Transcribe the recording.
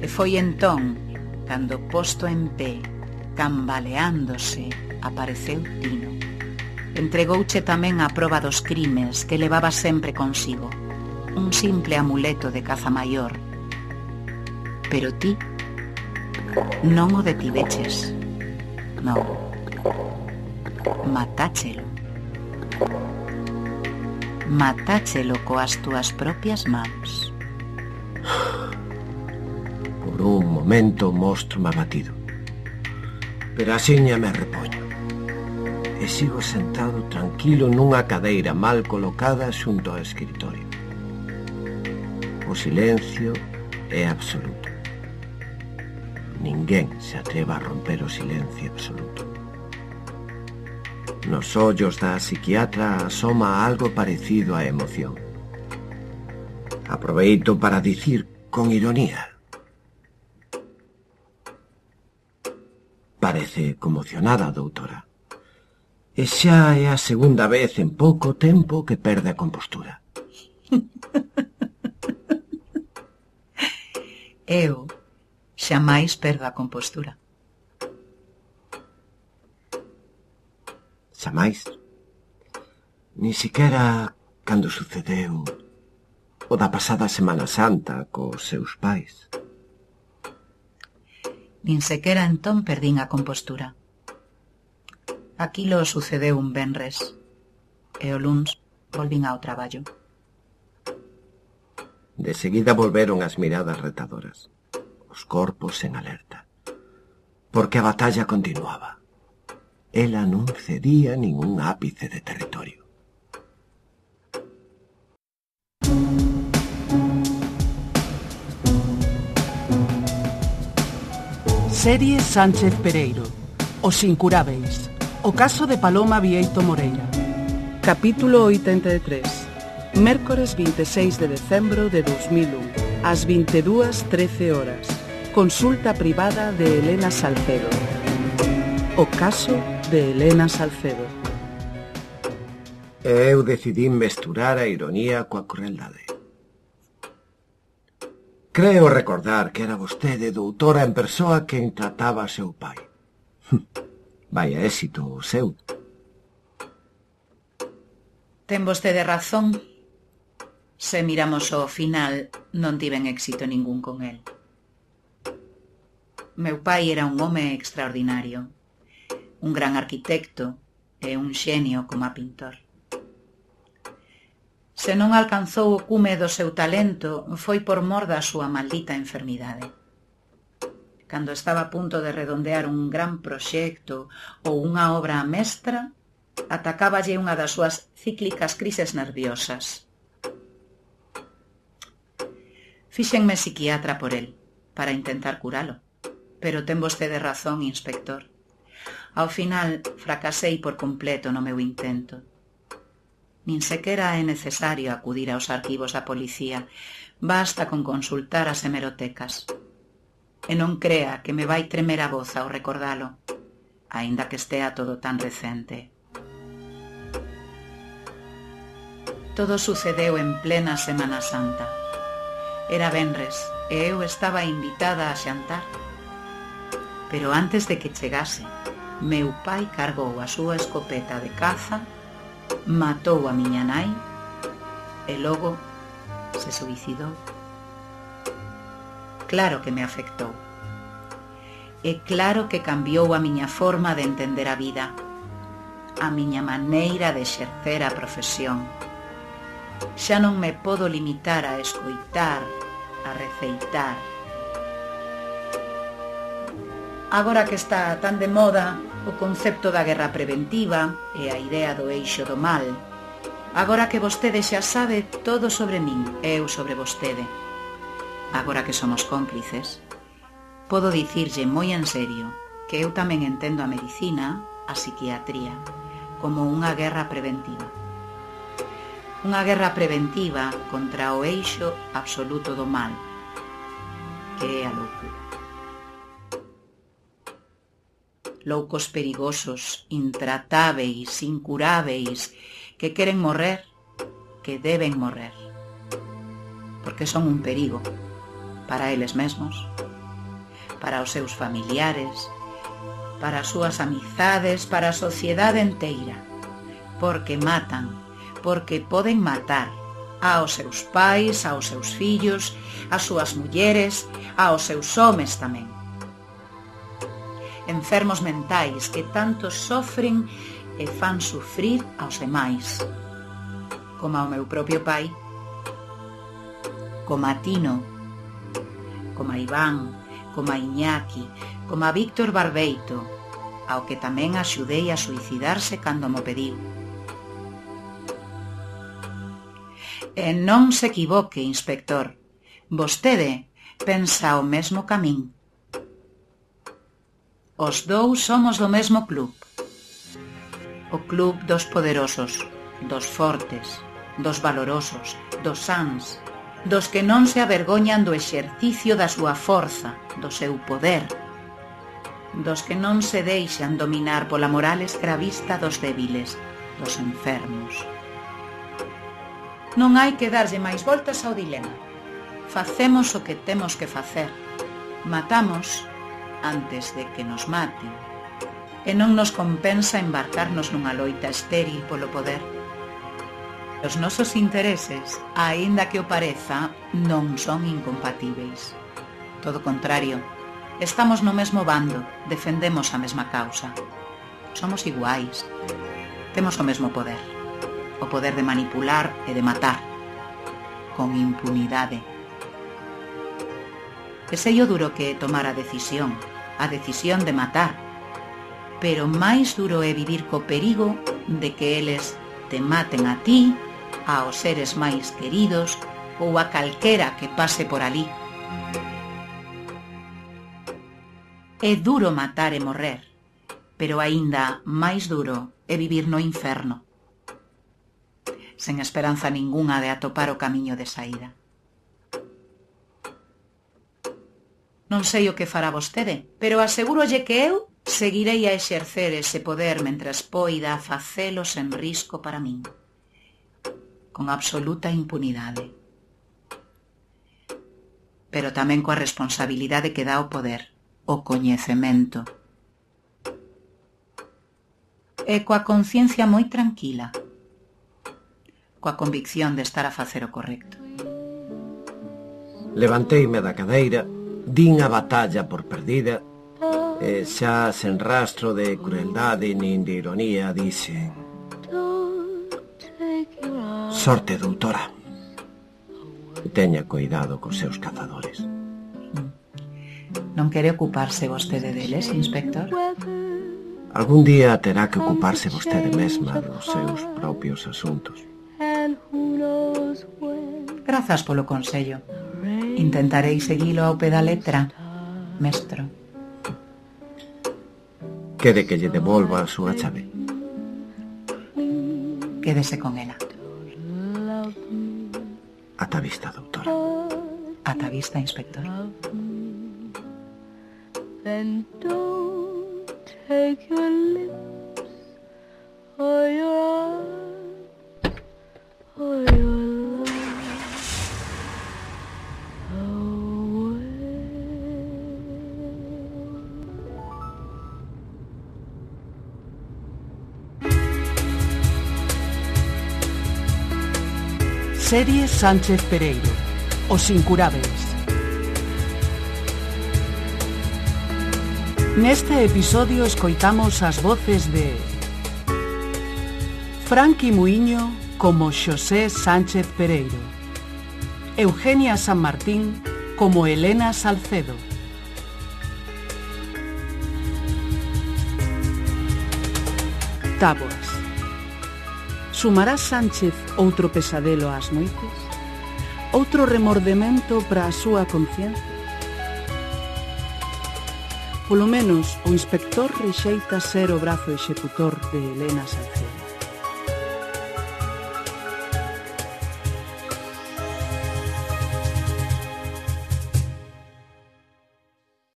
E foi entón, cando posto en pé, cambaleándose, apareceu Tino. Entregouche tamén a proba dos crimes que levaba sempre consigo, un simple amuleto de caza maior. Pero ti non o detiveches. Non. Matáchelo. Matáchelo coas túas propias mans. Por un momento mostro-me abatido, pero axiña me repoño e sigo sentado tranquilo nunha cadeira mal colocada xunto ao escritorio. O silencio é absoluto. Ninguén se atreva a romper o silencio absoluto. Nos ollos da psiquiatra asoma algo parecido á emoción. Aproveito para dicir con ironía: parece conmocionada, doutora. E xa é a segunda vez en pouco tempo que perde a compostura. Eu xamais perdo a compostura. Xamais? Ni siquiera cando sucedeu o da pasada Semana Santa cos seus pais. Nin sequera entón perdín a compostura. Aquilo sucedeu un venres, e o luns volvín ao traballo. De seguida volveron as miradas retadoras, os corpos en alerta, porque a batalla continuaba. Ela non cedía ningún ápice de territorio. Serie Sánchez Pereiro, Os Incurábeis, o caso de Paloma Vieito Moreira. Capítulo 83. Mércores 26 de decembro de 2001, ás 22:13 horas. Consulta privada de Elena Salcedo. O caso de Elena Salcedo. Eu decidí mesturar a ironía coa crueldade. Creo recordar que era vostede, doutora en persoa, quen trataba a seu pai. Vaya éxito o seu. Ten vostede razón. Se miramos ao final, non tiven éxito ningún con el. Meu pai era un home extraordinario, un gran arquitecto e un xenio como pintor. Se non alcanzou o cume do seu talento, foi por mor da súa maldita enfermidade. Cando estaba a punto de redondear un gran proxecto ou unha obra mestra, atacáballe unha das súas cíclicas crises nerviosas. Fíxenme psiquiatra por el, para intentar curalo, pero ten vostede razón, inspector. Ao final, fracasei por completo no meu intento. Nin sequera é necesario acudir aos arquivos da policía, basta con consultar as hemerotecas. E non crea que me vai tremer a voz ao recordalo, aínda que estea todo tan recente. Todo sucedeu en plena Semana Santa. Era venres e eu estaba invitada a xantar. Pero antes de que chegase, meu pai cargou a súa escopeta de caza, matou a miña nai e logo se suicidou. Claro que me afectou. E claro que cambiou a miña forma de entender a vida, a miña maneira de exercer a profesión. Xa non me podo limitar a escoitar, a receitar. Agora que está tan de moda o concepto da guerra preventiva e a idea do eixo do mal, agora que vostede xa sabe todo sobre min e eu sobre vostede, agora que somos cómplices, podo dicirlle moi en serio que eu tamén entendo a medicina, a psiquiatría, como unha guerra preventiva. Unha guerra preventiva contra o eixo absoluto do mal, que é a loucura. Loucos perigosos, intratáveis, incuráveis, que queren morrer, que deben morrer, porque son un perigo para eles mesmos para os seus familiares, para as súas amizades, para a sociedade enteira, porque matan, porque poden matar aos seus pais, aos seus fillos, ás súas mulleres, aos seus homes tamén. Enfermos mentais que tanto sofren e fan sufrir aos demais, como ao meu propio pai, como a Tino, como a Iván, como a Iñaki, como a Víctor Barbeito, ao que tamén axudei a suicidarse cando mo pediu. E non se equivoque, inspector, vostede pensa o mesmo ca min. Os dous somos do mesmo club. O club dos poderosos, dos fortes, dos valorosos, dos sans, dos que non se avergoñan do exercicio da súa forza, do seu poder, dos que non se deixan dominar pola moral escravista dos débiles, dos enfermos. Non hai que darlle máis voltas ao dilema. Facemos o que temos que facer. Matamos antes de que nos maten. E non nos compensa embarcarnos nunha loita estéril polo poder. Os nosos intereses, aínda que o pareza, non son incompatíveis. Todo o contrario, estamos no mesmo bando, defendemos a mesma causa. Somos iguais. Temos o mesmo poder. O poder de manipular e de matar, con impunidade. E sei o duro que é tomar a decisión de matar, pero máis duro é vivir co perigo de que eles te maten a ti, aos seres máis queridos ou a calquera que pase por alí. É duro matar e morrer, pero aínda máis duro é vivir no inferno, sen esperanza ningunha de atopar o camiño de saída. Non sei o que fará vostede, pero asegúrolle que eu seguirei a exercer ese poder mentres poida facelo sen risco para min, con absoluta impunidade. Pero tamén coa responsabilidade que dá o poder, o coñecemento. E coa conciencia moi tranquila, coa convicción de estar a facer o correcto. Levanteime da cadeira, din a batalla por perdida, e xa sen rastro de crueldade nin de ironía dixen: sorte, doutora. Teña cuidado cos seus cazadores. Non quere ocuparse vostede deles, inspector? Algún día terá que ocuparse vostede mesma dos seus propios asuntos. Grazas polo consello. Intentarei seguilo ao pé da letra, mestro. Quere que lle devolva a súa chave? Quédese con ela. Ata a vista, doutora. Ata a vista, inspector. Then don't take your lips or your arms or your love away. Serie Sánchez Pereiro, Os Incurábeis. Neste episodio escoitamos as voces de Franqui Muiño como Xosé Sánchez Pereiro, Eugenia San Martín como Elena Salcedo, Táboas. Sumará Sánchez outro pesadelo ás noites? Outro remordemento para a súa conciencia? Polo menos o inspector rexeita ser o brazo executor de Elena Salcedo.